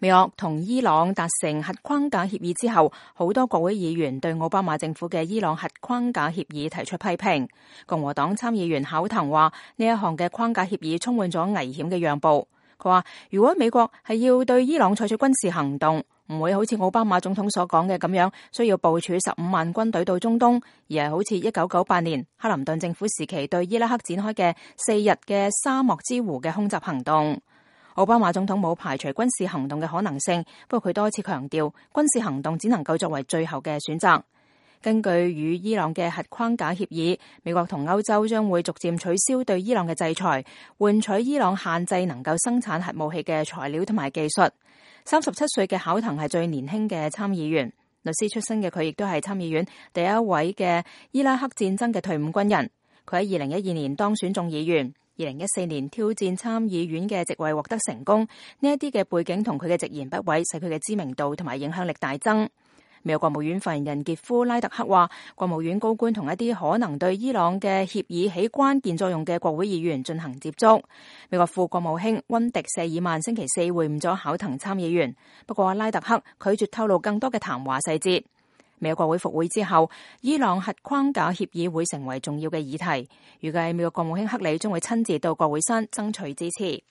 美國同伊朗達成核框架協議之後，好多國會議員對奧巴馬政府嘅伊朗核框架協議提出批評。共和黨參議員考騰話，呢一項嘅框架協議充滿咗危險嘅讓步。佢話，如果美國係要對伊朗採取軍事行動，唔會好似奧巴馬總統所講嘅咁樣，需要部署15萬軍隊到中東，而係好似1998年克林頓政府時期對伊拉克展開嘅4日嘅沙漠之狐嘅空襲行動。奧巴馬總統冇排除軍事行動嘅可能性，不過佢多次強調，軍事行動只能夠作為最後嘅選擇。根據與伊朗嘅核框架協議，美國同歐洲將會逐漸取消對伊朗嘅制裁，換取伊朗限制能夠生產核武器嘅材料同埋技術。37歲嘅考騰係最年輕嘅參議員，律師出身嘅佢亦都係參議院第一位嘅伊拉克戰爭嘅退伍軍人。佢喺2012年當選眾議員。2014年挑戰參議院嘅席位獲得成功，呢一啲嘅背景同佢嘅直言不諱，使佢嘅知名度同埋影響力大增。美國國務院發言人傑夫拉特克話，國務院高官同一啲可能對伊朗嘅協議起關鍵作用嘅國會議員進行接觸。美國副國務卿溫迪舍爾曼星期四會晤咗考騰參議員，不過拉特克拒絕透露更多嘅談話細節。美國國會復會之後，伊朗核框架協議會成為重要嘅議題，預計美國國務卿克里將會親自到國會山爭取支持。